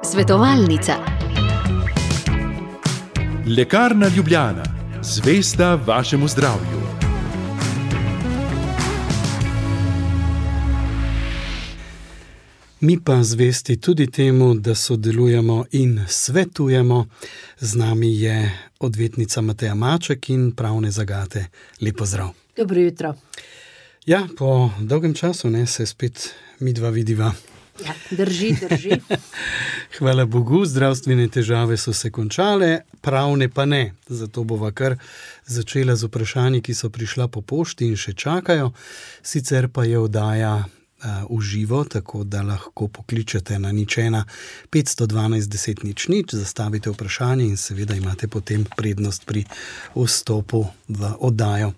Svetovalnica. Lekarna Ljubljana, zvesta vašemu zdravju. Mi pa zvesti tudi temu, da sodelujemo in svetujemo. Z nami je odvetnica Mateja Maček in pravne zagate. Lep pozdrav. Dobro jutro. Ja, po dolgem času se spet midva vidiva. Ja, drži. Hvala Bogu, zdravstvene težave so se končale, pravne pa ne. Zato bova kar začela z vprašanji, ki so prišla po pošti in še čakajo. Sicer pa je oddaja v živo, tako da lahko pokličete na 01 512 10 00, zastavite vprašanje in seveda imate potem prednost pri vstopu v oddajo.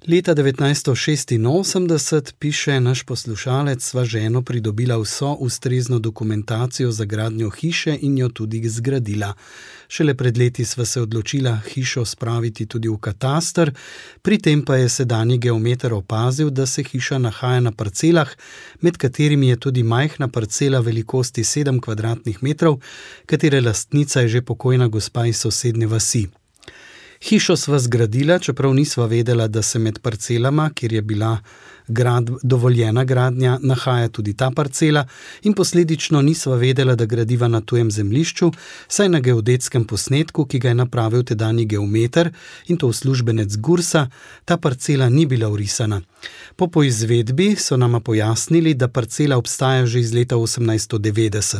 Leta 1986, piše naš poslušalec, sva ženo pridobila vso ustrezno dokumentacijo za gradnjo hiše in jo tudi zgradila. Šele pred leti sva se odločila hišo spraviti tudi v kataster, pri tem pa je sedanji geometer opazil, da se hiša nahaja na parcelah, med katerimi je tudi majhna parcela velikosti 7 kvadratnih metrov, katere lastnica je že pokojna gospa iz sosednje vasi. Hišo sva zgradila, čeprav nisva vedela, da se med parcelama, kjer je bila dovoljena gradnja, nahaja tudi ta parcela in posledično nisva vedela, da gradiva na tujem zemljišču, saj na geodetskem posnetku, ki ga je napravil tedanji geometer in to uslužbenec Gursa, ta parcela ni bila vrisana. Po poizvedbi so nama pojasnili, da parcela obstaja že iz leta 1890.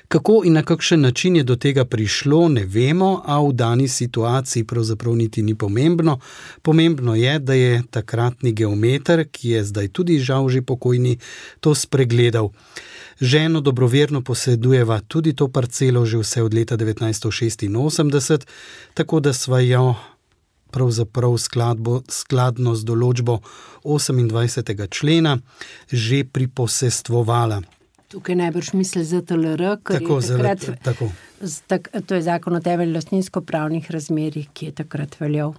Kako in na kakšen način je do tega prišlo, ne vemo, a v dani situaciji pravzaprav niti ni pomembno. Pomembno je, da je takratni geometer, ki je zdaj tudi žal že pokojni, to spregledal. Ženo dobroverno posedujeva tudi to parcelo že vse od leta 1986, tako da sva jo pravzaprav skladno z določbo 28. člena že priposestvovala. Tukaj najbrž misli ZTLR, ker tako, je takrat, tako. To je zakon o temeljih lastninsko-pravnih razmerjih, ki je takrat veljal.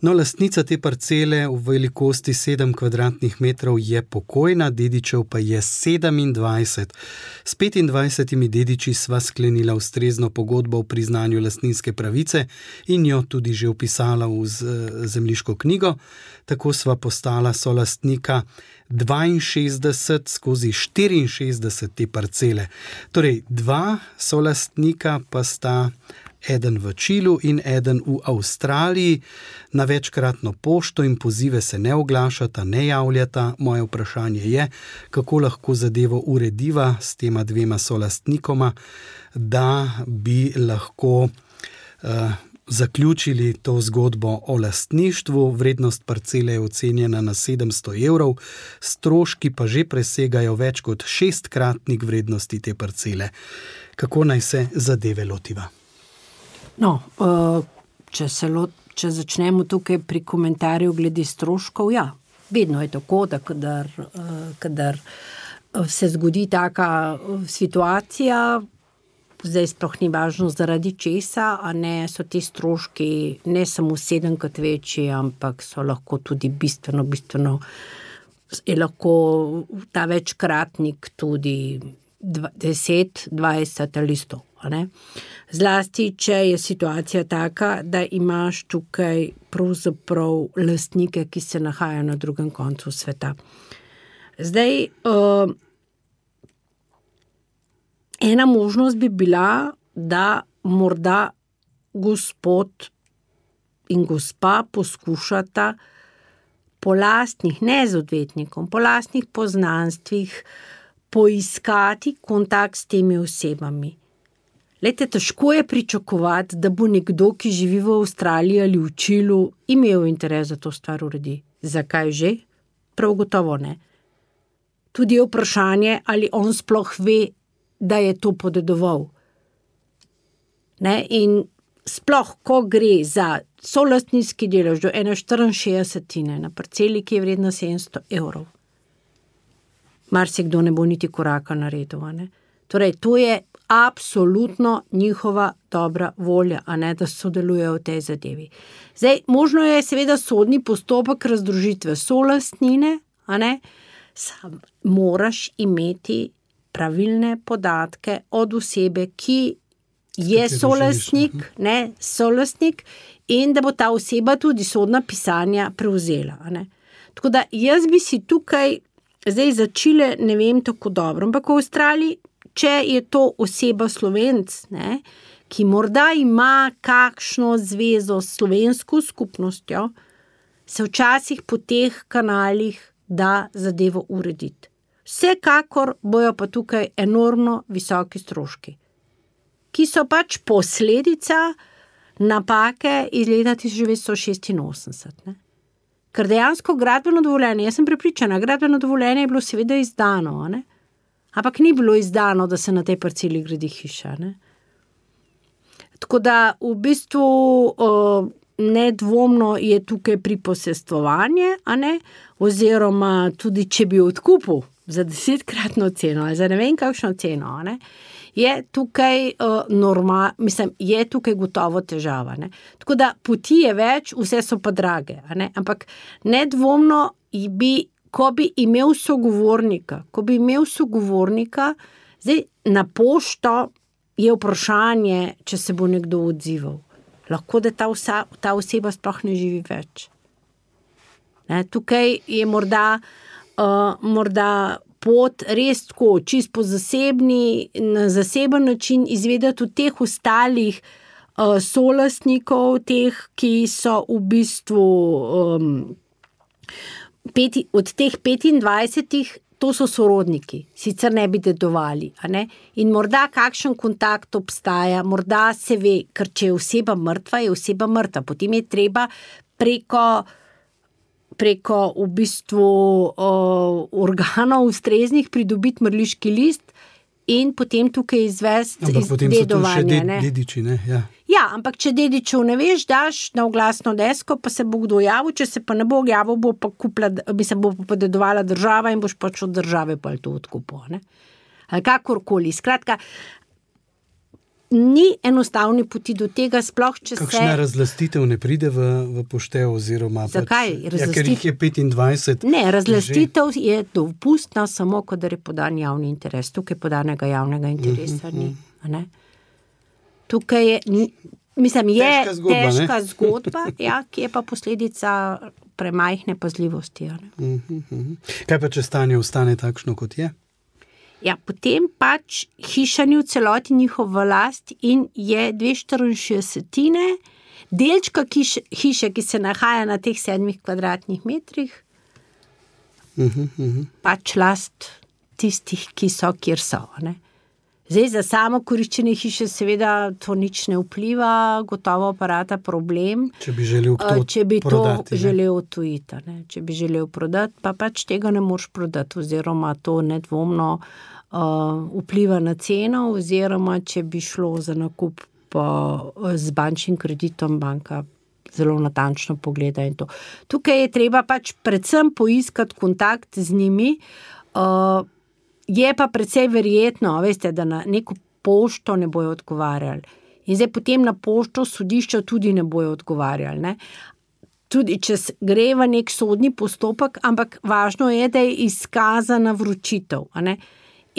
No, lastnica te parcele v velikosti 7 kvadratnih metrov je pokojna, dedičev pa je 27. S 25 dediči sva sklenila ustrezno pogodbo o priznanju lastninske pravice in jo tudi že vpisala v zemljiško knjigo. Tako sva postala solastnika 62/64 te parcele. Torej, 2 solastnika pa sta eden v Čilu in eden v Avstraliji. Na večkratno pošto in pozive se ne oglašata, ne javljata. Moje vprašanje je, kako lahko zadevo urediva s tema 2 solastnikoma, da bi lahko zaključili to zgodbo o lastništvu. Vrednost parcele je ocenjena na 700 evrov, stroški pa že presegajo več kot 6-kratnik vrednosti te parcele. Kako naj se zadeve lotiva? No, če začnemo tukaj pri komentarju glede stroškov, ja, vedno je tako, da kadar se zgodi taka situacija, zdaj sploh ni važno zaradi česa, a ne so ti stroški ne samo 7-krat večji, ampak so lahko tudi bistveno, je lahko ta večkratnik tudi 10, 20 ali 100. Zlasti, če je situacija taka, da imaš tukaj pravzaprav lastnike, ki se nahajajo na drugem koncu sveta. Zdaj, ena možnost bi bila, da morda gospod in gospa poskušata po lastnih, ne z odvetnikom, po lastnih poznanstvih poiskati kontakt s temi osebami. Glejte, težko je pričakovati, da bo nekdo, ki živi v Avstraliji ali v Čilu, imel interes za to stvar uredi. Zakaj že? Prav gotovo ne. Tudi je vprašanje, ali on sploh ve, da je to podedoval. In sploh, ko gre za solastninski delež do 1,64 na parceli, ki je vredna 700 evrov, marsikdo ne bo niti koraka naredil. Torej, to je absolutno njihova dobra volja, a ne da sodelujejo v tej zadevi. Zdaj, možno je seveda sodni postopek razdružitve solastnine, a ne, sam moraš imeti pravilne podatke od osebe, ki je solastnik in da bo ta oseba tudi sodna pisanja prevzela. Ne. Tako da jaz bi si tukaj zdaj za Čile ne vem tako dobro, ampak v Avstraliji, če je to oseba Slovenc, ne, ki morda ima kakšno zvezo s slovensko skupnostjo, se včasih po teh kanalih da zadevo urediti. Vsekakor bojo pa tukaj enormno visoki stroški, ki so pač posledica napake iz leta 1986. Ne? Ker dejansko gradbeno dovoljenje, jaz sem prepričana, gradbeno dovoljenje je bilo seveda izdano, ne? Ampak ni bilo izdano, da se na tej parceli gradi hiša. Ne? Tako da v bistvu nedvomno je tukaj priposestvovanje, a ne? Oziroma tudi če bi odkupil za 10-kratno ceno ali za ne vem kakšno ceno, a ne? Je tukaj je tukaj gotovo težava. Ne? Tako da poti je več, vse so pa drage. A ne? Ampak nedvomno ko bi imel sogovornika, zdaj na pošto je vprašanje, če se bo nekdo odzival. Lahko, da ta oseba sploh ne živi več. Ne? Tukaj je morda pot res tako, čist po na zaseben način izvedeti od teh ostalih solastnikov, teh, ki so v bistvu od teh 25, to so sorodniki, sicer ne bi dedovali. A ne? In morda kakšen kontakt obstaja, morda se ve, ker če je oseba mrtva, je oseba mrtva. Potem je treba preko v bistvu organov ustreznih pridobiti mrliški list in potem tukaj izvesti dedovanje. Ampak potem so tu še dediči, ne? Ja. Ja, ampak če dedičev ne veš, daš na oglasno desko, pa se bo kdo javil, če se pa ne bo javil, bo pa bo pa dedovala država in boš pač od države pa to odkupil. Ne? Ali kakorkoli. Skratka, ni enostavni poti do tega, sploh če Kakšna razlastitev ne pride v poštev oziroma Zakaj? Ker jih je 25. Ne, razlastitev je dopustna samo, kadar je podan javni interes. Tukaj podanega javnega interesa ni. Ne? Tukaj je, težka zgodba, ja, ki je pa posledica premajhne pazljivosti. Ne? Kaj pa, če stanje ostane takšno, kot je? Ja, potem pač hiša ni v celoti njihova last in je 2/64 delčka hiše, ki se nahaja na teh 7 kvadratnih metrih, pač last tistih, ki so, kjer so. Ne? Zdaj, za samo koriščenje hiše seveda to nič ne vpliva, gotovo aparata problem. Če bi želel prodati, želel odtujiti. Ne? Če bi želel prodati, pa pač tega ne moreš prodati, oziroma to nedvomno vpliva na ceno, oziroma če bi šlo za nakup z bančnim kreditom, banka zelo natančno pogleda in to. Tukaj je treba pač predvsem poiskati kontakt z njimi, je pa precej verjetno, veste, da na neko pošto ne bojo odgovarjali. In zdaj potem na pošto sodišča tudi ne bojo odgovarjali. Ne? Tudi če gre v nek sodni postopek, ampak važno je, da je izkazana vročitev. A ne?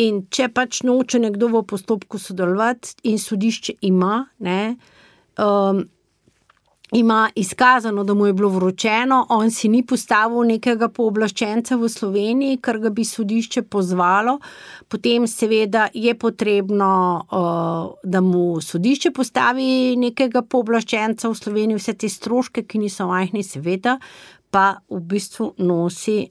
In če pač noče nekdo v postopku sodelovati in sodišče ima izkazano, da mu je bilo vročeno, on si ni postavil nekega pooblaščenca v Sloveniji, kar ga bi sodišče pozvalo, potem seveda je potrebno, da mu sodišče postavi nekega pooblaščenca v Sloveniji, vse te stroške, ki niso majhni, seveda, pa v bistvu nosi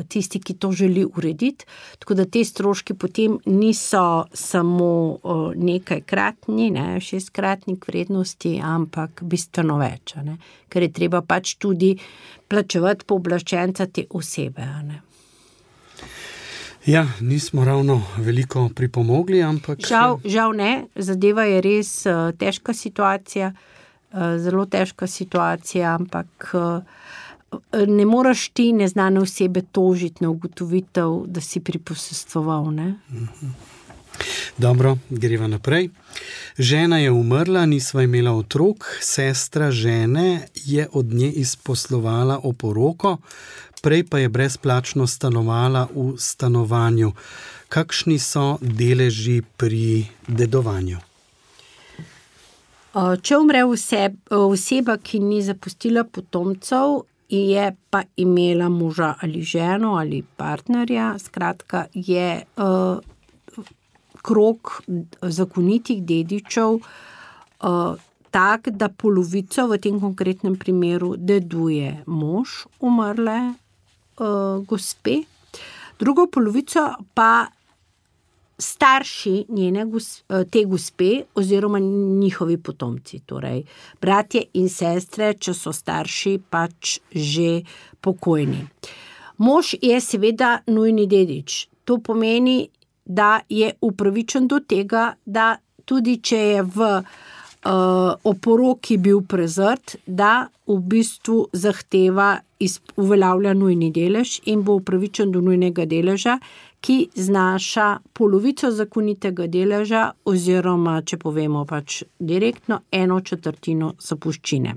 tisti, ki to želi urediti. Tako da te stroški potem niso samo nekajkratni, 6-kratnik vrednosti, ampak bistveno več. Ne? Ker je treba pač tudi plačevati pooblaščenca te osebe. Ne? Ja, nismo ravno veliko pripomogli, ampak... Žal ne, zadeva je res težka situacija, zelo težka situacija, ampak ne moraš ti neznane osebe tožiti na ugotovitev, da si priposestvoval. Ne? Dobro, greva naprej. Žena je umrla, nisva imela otrok, sestra žene je od nje izposlovala oporoko, prej pa je brezplačno stanovala v stanovanju. Kakšni so deleži pri dedovanju? Če umre oseba, ki ni zapustila potomcev, je pa imela moža ali ženo ali partnerja, skratka je krog zakonitih dedičev tak, da polovico v tem konkretnem primeru deduje mož umrle gospe, drugo polovico pa starši te gospe oziroma njihovi potomci, torej bratje in sestre, če so starši pač že pokojni. Mož je seveda nujni dedič. To pomeni, da je upravičen do tega, da tudi če je v oporoki bil prezrt, da v bistvu zahteva uveljavlja nujni delež in bo upravičen do nujnega deleža, ki znaša polovico zakonitega deleža oziroma, če povemo pač direktno, 1/4 zapuščine.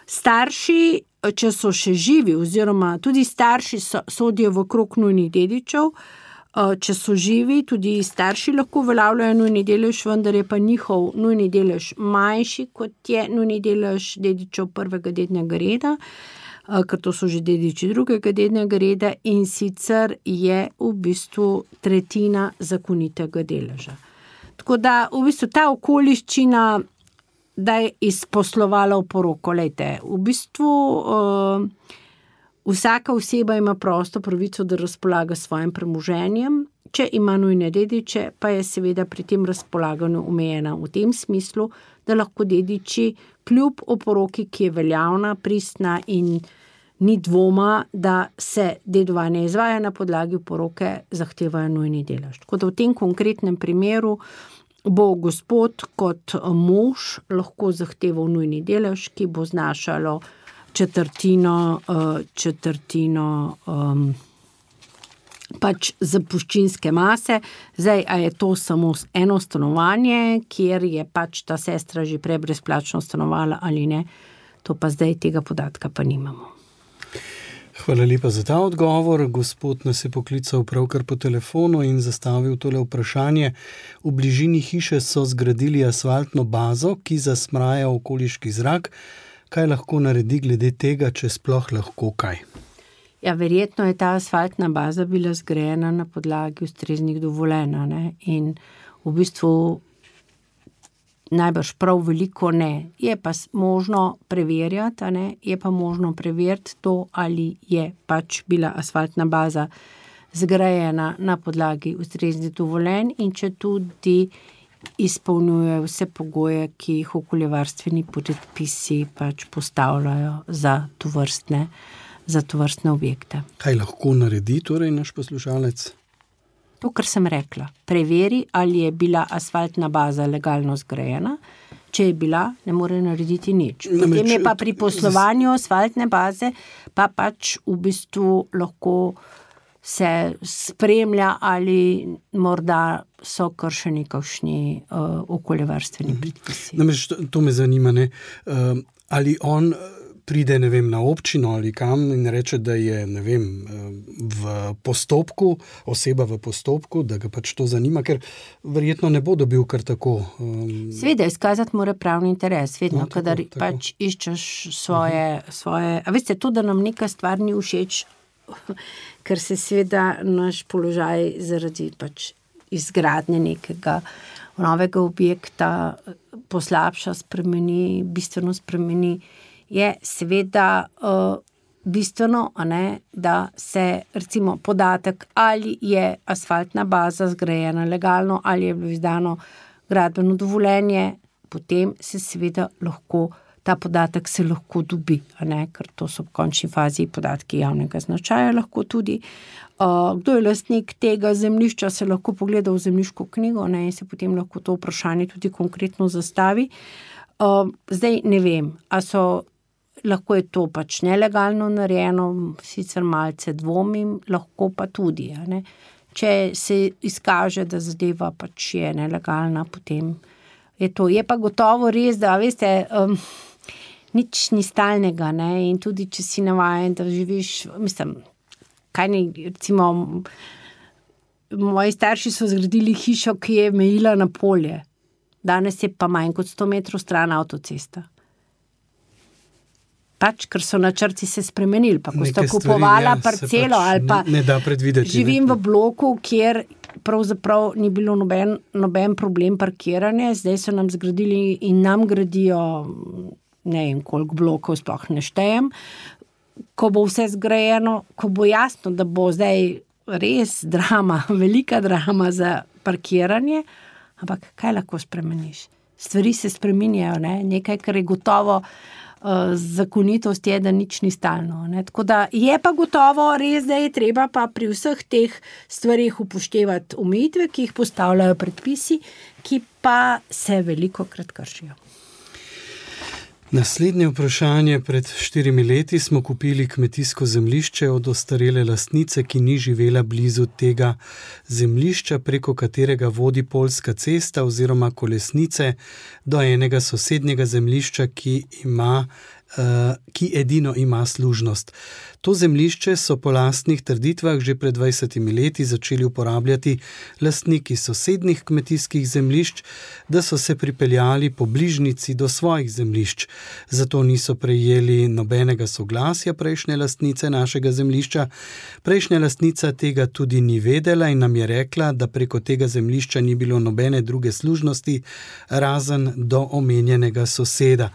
Starši, če so še živi oziroma tudi starši sodijo v krog nujnih dedičev, če so živi, tudi starši lahko uveljavljajo nujni delež, vendar je pa njihov nujni delež manjši, kot je nujni delež dedičev prvega dednega reda, ker to so že dediči drugega dednega reda in sicer je v bistvu tretjina zakonitega deleža. Tako da v bistvu ta okoliščina, da je izposlovala oporoko, lejte, v bistvu vsaka oseba ima prosto pravico, da razpolaga s svojim premoženjem, če ima nujne dediče, pa je seveda pri tem razpolaganju omejena v tem smislu, da lahko dediči kljub oporoki, ki je veljavna, pristna in ni dvoma, da se dedovanje izvaja na podlagi oporoke, zahtevajo nujni delež. Tako da v tem konkretnem primeru bo gospod kot mož lahko zahteval nujni delež, ki bo znašalo četrtino pač zapuščinske mase. Zdaj, a je to samo eno stanovanje, kjer je pač ta sestra že prej brezplačno stanovala ali ne, to pa zdaj tega podatka pa nimamo. Hvala lepa za ta odgovor. Gospod nas je poklical pravkar po telefonu in zastavil tole vprašanje. V bližini hiše so zgradili asfaltno bazo, ki zasmraja okoliški zrak. Kaj lahko naredi glede tega, če sploh lahko kaj? Ja, verjetno je ta asfaltna baza bila zgrajena na podlagi ustreznih dovoljenj, ne? In v bistvu najbrž prav veliko ne. Je pa možno preverjati, ne? Je pa možno preveriti to, ali je pač bila asfaltna baza zgrajena na podlagi ustreznih dovoljenj in če tudi izpolnjuje vse pogoje, ki jih okoljevarstveni predpisi pač postavljajo za tovrstne objekte. Kaj lahko naredi torej naš poslušalec? To, kar sem rekla. Preveri, ali je bila asfaltna baza legalno zgrajena. Če je bila, ne more narediti nič. Potem je pa pri poslovanju asfaltne baze pa pač v bistvu lahko se spremlja, ali morda so kršeni kakšni okoljevarstveni predpisi. Namreč to me zanima, ne? Ali on pride, ne vem, na občino ali kam in reče, da je, ne vem, v postopku, oseba v postopku, da ga pač to zanima, ker verjetno ne bo dobil kar tako. Seveda, izkazati mora pravni interes, vedno, kadar pač iščeš svoje. A veste, to, da nam neka stvar ni všeč, ker se seveda naš položaj zaradi pač izgradnje nekega novega objekta poslabša, bistveno spremeni, je seveda bistveno, da se recimo podatek, ali je asfaltna baza zgrajena legalno, ali je bilo izdano gradbeno dovoljenje, potem se seveda lahko ta podatek se lahko dobi, ker to so v končni fazi podatki javnega značaja lahko tudi. Kdo je lastnik tega zemljišča, se lahko pogleda v zemljiško knjigo, in se potem lahko to vprašanje tudi konkretno zastavi. Zdaj ne vem, lahko je to pač nelegalno narejeno, sicer malce dvomim, lahko pa tudi, če se izkaže, da zadeva pač je nelegalna, potem je to. Je pa gotovo res, da veste, nič ni stalnega, ne, in tudi, če si navajen, da živiš, mislim, kaj ne, recimo, moji starši so zgradili hišo, ki je mejila na polje. Danes je pa manj kot 100 metrov stran avtocesta. Pač, ker so načrti se spremenili, pa ko sta kupovala parcelo ali pa ne da predvideti. Živim v bloku, kjer pravzaprav ni bilo noben problem parkiranja, zdaj so nam zgradili in nam gradijo, ne vem, koliko blokov sploh ne štejem, ko bo vse zgrajeno, ko bo jasno, da bo zdaj res drama, velika drama za parkiranje, ampak kaj lahko spremeniš? Stvari se spreminjajo, ne? Nekaj, kar je gotovo, zakonitost je, da nič ni stalno. Ne? Tako da je pa gotovo res, da je treba pa pri vseh teh stvarih upoštevati omejitve, ki jih postavljajo predpisi, ki pa se velikokrat kršijo. Naslednje vprašanje. Pred 4 leti smo kupili kmetijsko zemljišče od ostarele lastnice, ki ni živela blizu tega zemljišča, preko katerega vodi Poljska cesta oziroma kolesnice do enega sosednjega zemljišča, ki edino ima služnost. To zemljišče so po lastnih trditvah že pred 20 leti začeli uporabljati lastniki sosednjih kmetijskih zemljišč, da so se pripeljali po bližnjici do svojih zemljišč. Zato niso prejeli nobenega soglasja prejšnje lastnice našega zemljišča. Prejšnja lastnica tega tudi ni vedela in nam je rekla, da preko tega zemljišča ni bilo nobene druge služnosti, razen do omenjenega soseda.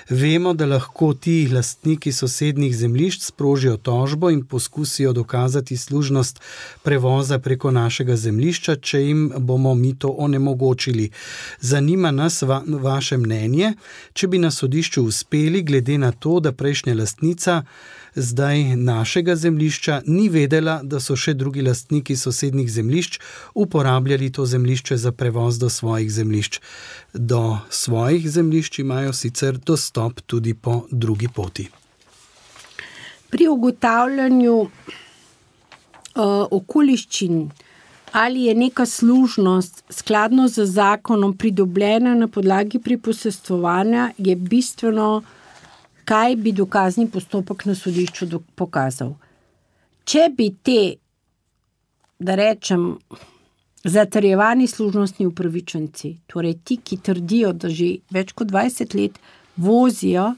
Vemo, da lahko ti lastniki sosednjih zemljišč sprožijo tožbo in poskusijo dokazati služnost prevoza preko našega zemljišča, če jim bomo mi to onemogočili. Zanima nas vaše mnenje, če bi na sodišču uspeli, glede na to, da prejšnja lastnica zdaj našega zemljišča ni vedela, da so še drugi lastniki sosednjih zemljišč uporabljali to zemljišče za prevoz do svojih zemljišč. Do svojih zemljišč imajo sicer dostop tudi po drugi poti. Pri ugotavljanju okoliščin, ali je neka služnost skladno z zakonom pridobljena na podlagi priposestvovanja, je bistveno, kaj bi dokazni postopek na sodišču pokazal. Če bi te, da rečem, zatrjevani služnostni upravičenci, torej ti, ki trdijo, da že več kot 20 let vozijo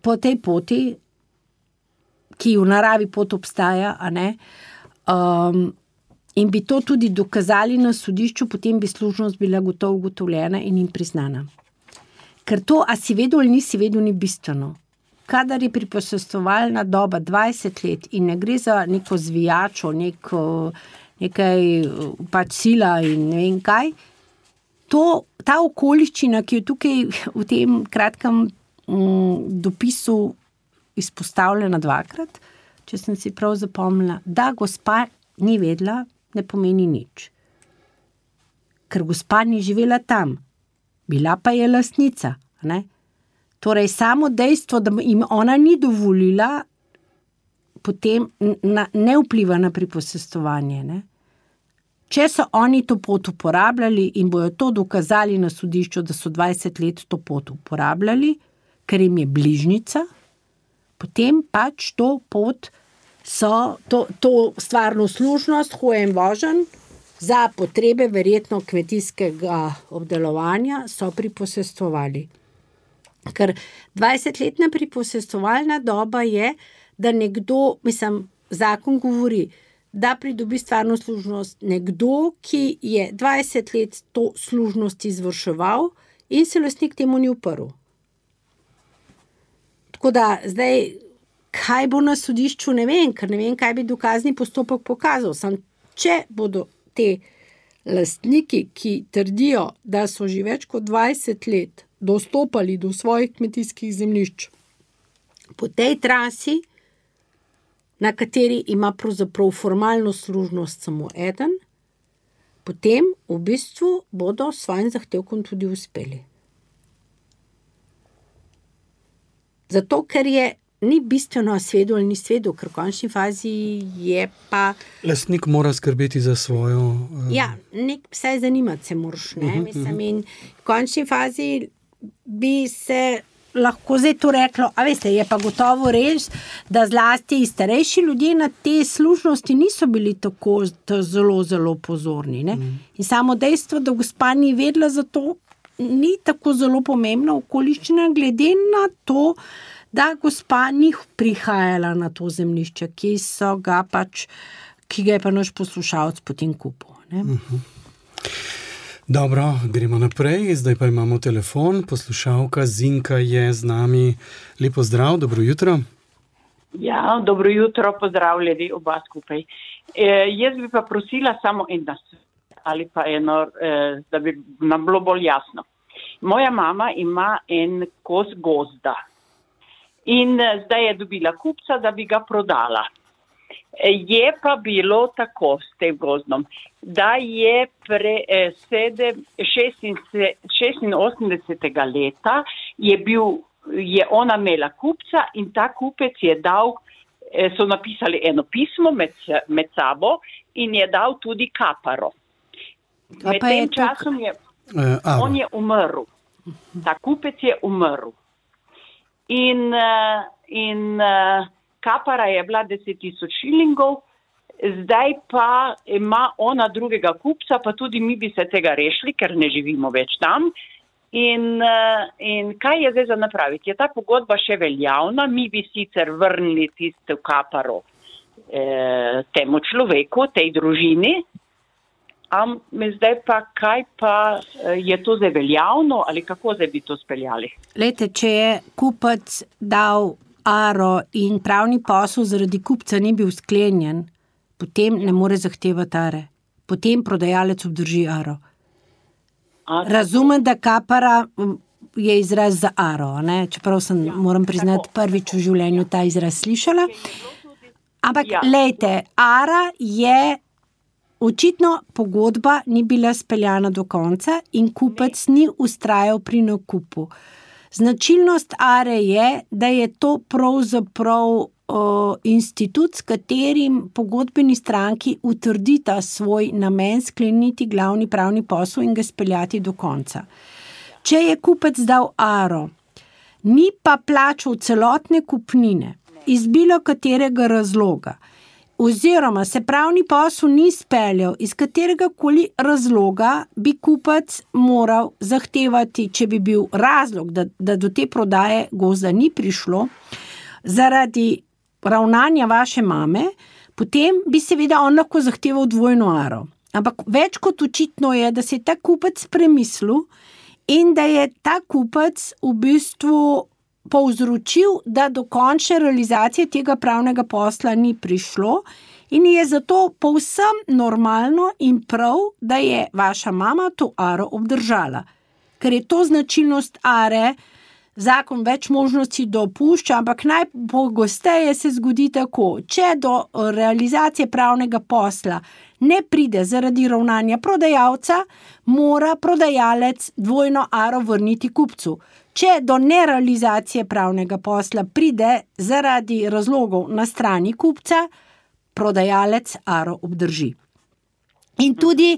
po tej poti, ki v naravi pot obstaja, a ne, in bi to tudi dokazali na sodišču, potem bi služnost bila gotovo ugotovljena in jim priznana. Ker to, a si vedel ali nisi vedel, ni bistveno. Kadar je priposestovalna doba 20 let in ne gre za neko zvijačo, nekaj pač sila in ne vem kaj, ta okoliščina, ki je tukaj v tem kratkem dopisu izpostavljena 2-krat, če sem si prav zapomnila, da gospa ni vedela, ne pomeni nič. Ker gospa ni živela tam. Bila pa je lastnica, ne? Torej, samo dejstvo, da jim ona ni dovolila, potem ne vpliva na priposestovanje, ne? Če so oni to pot uporabljali in bojo to dokazali na sodišču, da so 20 let to pot uporabljali, ker jim je bližnjica, potem pač to pot so, to stvarno služnost, hojen vožen, za potrebe verjetno kmetijskega obdelovanja so priposestvovali. Ker 20-letna priposestovalna doba je, da nekdo, zakon govori, da pridobi stvarno služnost nekdo, ki je 20 let to služnost izvrševal in se lastnik temu ni uprl. Tako da zdaj, kaj bo na sodišču, ne vem, ker ne vem, kaj bi dokazni postopek pokazal. Samo če bodo te lastniki, ki trdijo, da so že več kot 20 let dostopali do svojih kmetijskih zemljišč po tej trasi, na kateri ima pravzaprav formalno služnost samo eden, potem v bistvu bodo s svojim zahtevkom tudi uspeli. Zato, ker je ni bistveno svedu ali ni svedu, ker v končni fazi je pa... Lastnik mora skrbeti za svojo... Ja, vsaj zanimati se moraš, ne? Mislim, in v končni fazi bi se lahko zdaj to reklo, a veste, je pa gotovo res, da zlasti starejši ljudje na te služnosti niso bili tako zelo, zelo pozorni, ne? In samo dejstvo, da gospa ni vedela za to, ni tako zelo pomembna okoliščina, glede na to, da gospa ni prihajala na to zemljišče, ki ga je pa naš poslušalec potem kupil, ne? Dobro, gremo naprej. Zdaj pa imamo telefon. Poslušalka Zinka je z nami. Lepo zdrav, dobro jutro. Ja, dobro jutro, pozdravljeni oba skupaj. Jaz bi pa prosila samo eno ali pa eno, da bi nam bilo bolj jasno. Moja mama ima en kos gozda in zdaj je dobila kupca, da bi ga prodala. Je pa bilo tako s tem gozdom, da je 86. leta je ona imela kupca in ta kupec je dal, so napisali eno pismo med sabo in je dal tudi kaparo. Med tem časom on je umrl. Ta kupec je umrl. In kapara je bila 10,000 šilingov, zdaj pa ima ona drugega kupca, pa tudi mi bi se tega rešili, ker ne živimo več tam. In kaj je zdaj za napraviti? Je ta pogodba še veljavna? Mi bi sicer vrnili tisto kaparo temu človeku, tej družini, zdaj pa kaj pa je to zdaj veljavno ali kako zdaj bi to speljali? Glejte, če je kupec dal aro in pravni posel zaradi kupca ni bil sklenjen, potem ne more zahtevati are. Potem prodajalec obdrži aro. Razumem, da kapara je izraz za aro, ne? Čeprav moram priznati, prvič v življenju ta izraz slišala. Ampak, lejte, ara je očitno pogodba ni bila speljana do konca in kupec ni vztrajal pri nakupu. Značilnost are je, da je to pravzaprav institut, s katerim pogodbeni stranki utrdita svoj namen skleniti glavni pravni posel in ga speljati do konca. Če je kupec dal aro, ni pa plačal celotne kupnine iz bilo katerega razloga, oziroma se pravni posel ni speljal iz katerega koli razloga, bi kupec moral zahtevati, če bi bil razlog, da do te prodaje gozda ni prišlo, zaradi ravnanja vaše mame, potem bi seveda on lahko zahteval dvojno aro. Ampak več kot očitno je, da se je ta kupec premislil in da je ta kupec v bistvu povzročil, da do končne realizacije tega pravnega posla ni prišlo in je zato povsem normalno in prav, da je vaša mama to aro obdržala. Ker je to značilnost are, zakon več možnosti dopušča, ampak najpogosteje se zgodi tako, če do realizacije pravnega posla ne pride zaradi ravnanja prodajalca, mora prodajalec dvojno aro vrniti kupcu. Če do nerealizacije pravnega posla pride zaradi razlogov na strani kupca, prodajalec aro obdrži. In tudi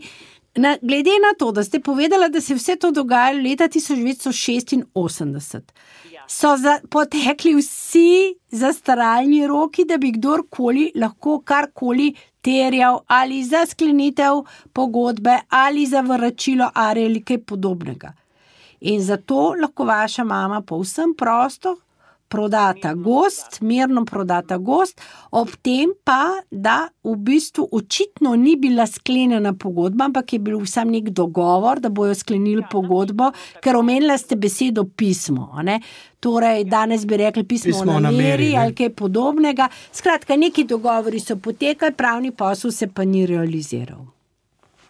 glede na to, da ste povedala, da se vse to dogajalo leta 1986, so potekli vsi zastaralni roki, da bi kdorkoli lahko karkoli terjal ali za sklenitev pogodbe ali za vračilo are ali kaj podobnega. In zato lahko vaša mama povsem prosto prodata gozd, mirno prodata gozd, ob tem pa, da v bistvu očitno ni bila sklenjena pogodba, ampak je bil sam nek dogovor, da bojo sklenili pogodbo, ker omenila ste besedo pismo, ne? Torej, danes bi rekli pismo o nameri ali kaj podobnega. Skratka, neki dogovori so potekali, pravni posel se pa ni realiziral.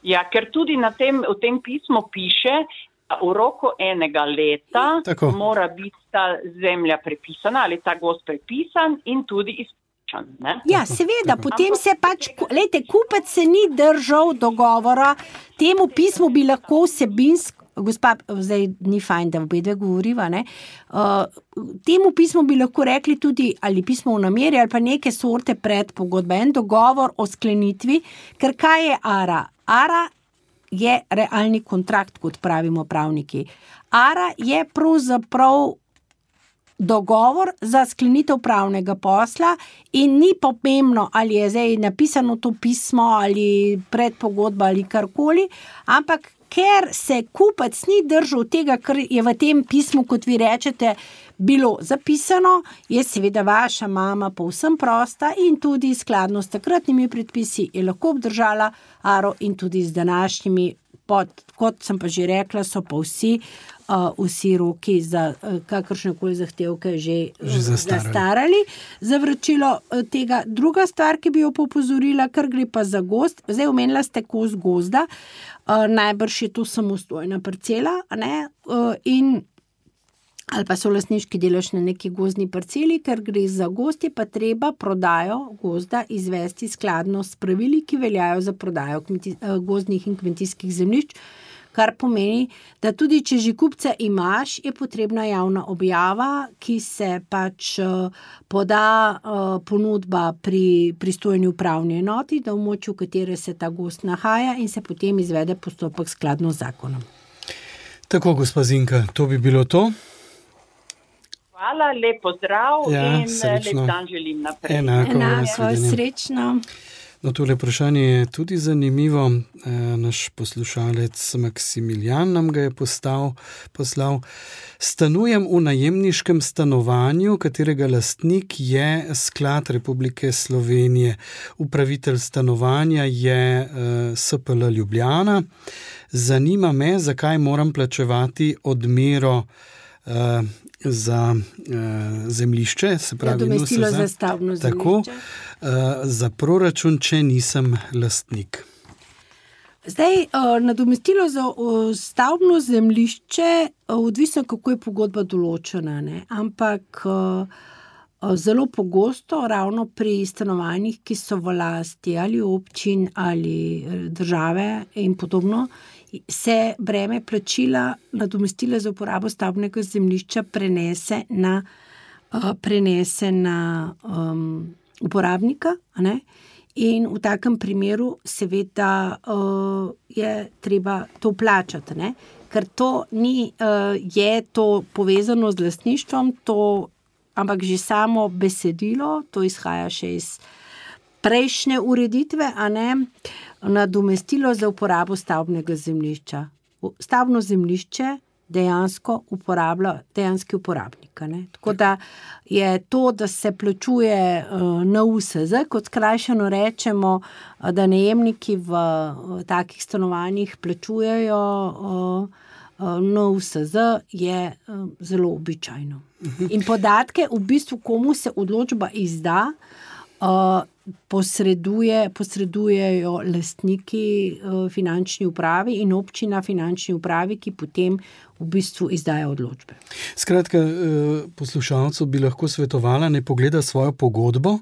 Ja, ker tudi v tem pismu piše, v roku enega leta mora biti ta zemlja prepisana ali ta gozd prepisan in tudi izplačan. Ja, seveda, potem se kupec se ni držal dogovora, temu pismu bi lahko vsebinsko gospa, zdaj ni fajn, da obe dve govoriva, ne? Temu pismu bi lahko rekli tudi ali pismo v nameri ali pa neke sorte predpogodbe, en dogovor o sklenitvi, ker kaj je ARA? ARA je realni kontrakt, kot pravimo pravniki. ARA je pravzaprav dogovor za sklenitev pravnega posla in ni pomembno, ali je zdaj napisano to pismo ali predpogodba ali karkoli, ampak ker se kupec ni držal tega, kar je v tem pismu, kot vi rečete, bilo zapisano, je seveda vaša mama povsem prosta in tudi skladno s takratnimi predpisi je lahko obdržala ARO in tudi z današnjimi, kot sem pa že rekla, so pa vsi roki za kakršnekoli zahtevke že zastarali za vračilo tega. Druga stvar, ki bi jo opozorila, kar gre pa za gozd, zdaj omenila ste kos gozda, najbrž je to samostojna parcela, ne? Ali pa so lastniški delež na neki gozdni parceli, ker gre za gozd, je pa treba prodajo gozda izvesti skladno s pravili, ki veljajo za prodajo gozdnih in kmetijskih zemljišč, kar pomeni, da tudi če že kupca imaš, je potrebna javna objava, ki se pač poda ponudba pri pristojni upravni enoti, da v območju, v katere se ta gozd nahaja in se potem izvede postopek skladno z zakonom. Tako, gospa Zinka, to bi bilo to. Hvala, lep pozdrav in srečno. lep dan želim naprej. Enako, srečno. No, tole vprašanje je tudi zanimivo. Naš poslušalec Maksimilijan nam ga je poslal. Stanujem v najemniškem stanovanju, katerega lastnik je Sklad Republike Slovenije. Upravitelj stanovanja je SPL Ljubljana. Zanima me, zakaj moram plačevati odmero za zemljišče, se pravi nadomestilo za stavbno zemljišče. Tako, za proračun, če nisem lastnik. Zdaj, nadomestilo za stavbno zemljišče, odvisno kako je pogodba določena, ne? Ampak zelo pogosto, ravno pri stanovanjih, ki so v lasti ali občin ali države in podobno, se breme plačila nadomestila za uporabo stavbnega zemljišča prenese na uporabnika, ne? In v takem primeru seveda je treba to plačati, ne? Ker to ni, je to povezano z lastništvom, ampak že samo besedilo, to izhaja še iz prejšnje ureditve, a ne, nadomestilo za uporabo stavbnega zemljišča. Stavbno zemljišče dejansko uporablja dejanski uporabnik, ne. Tako da je to, da se plačuje NUSZ, kot skrajšano rečemo, da najemniki v takih stanovanjih plačujejo NUSZ, je zelo običajno. In podatke v bistvu, komu se odločba izda, posredujejo lastniki finančni upravi in občina finančni upravi, ki potem v bistvu izdaja odločbe. Skratka, poslušalcu bi lahko svetovala, ne pogleda svojo pogodbo.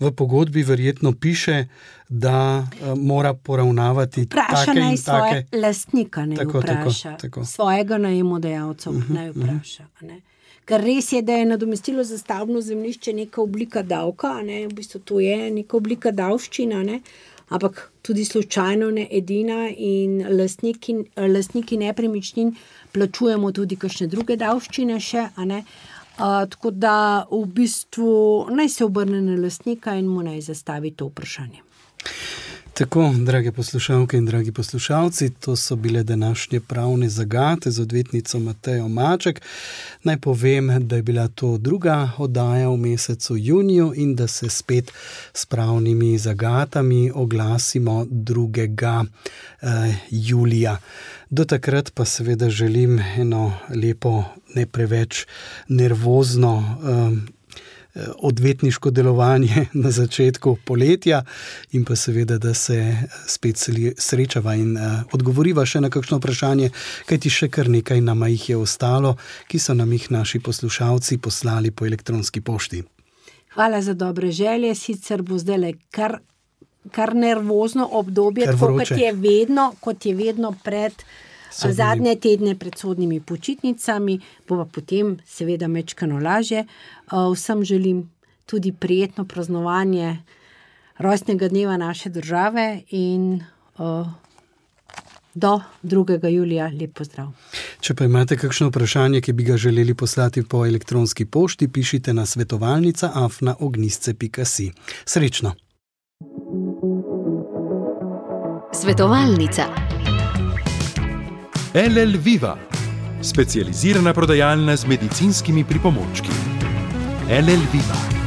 V pogodbi verjetno piše, da mora poravnavati take in take. Vpraša naj svoje lastnika, ne vpraša. Tako. Svojega najemodajalca naj vpraša, ne. Ker res je, da je nadomestilo za stavbno zemljišče neka oblika davka, ne, v bistvu to je neka oblika davščina, ne, ampak tudi slučajno ne edina in lastniki nepremičnin plačujemo tudi kakšne druge davščine še, a ne. Tako da v bistvu naj se obrne na lastnika in mu naj zastavi to vprašanje. Tako, drage poslušalke in dragi poslušalci, to so bile današnje pravne zagate z odvetnico Matejo Maček. Naj povem, da je bila to druga oddaja v mesecu juniju in da se spet s pravnimi zagatami oglasimo 2. julija. Do takrat pa seveda želim eno lepo, ne preveč nervozno odvetniško delovanje na začetku poletja in pa seveda, da se spet srečava in odgovoriva še na kakšno vprašanje, kajti še kar nekaj nama jih je ostalo, ki so nam jih naši poslušalci poslali po elektronski pošti. Hvala za dobre želje, sicer bo zdajle kar nervozno obdobje, tako kot je vedno pred zadnje tedne pred sodnimi počitnicami, bo pa potem seveda mečkano lažje. Vsem želim tudi prijetno praznovanje rojstnega dneva naše države in do 2. julija lep pozdrav. Če pa imate kakšno vprašanje, ki bi ga želeli poslati po elektronski pošti, pišite na svetovalnica@ognisce.si. Srečno! Svetovalnica. LL Viva, specializirana prodajalna z medicinskimi pripomočki. LL Viva.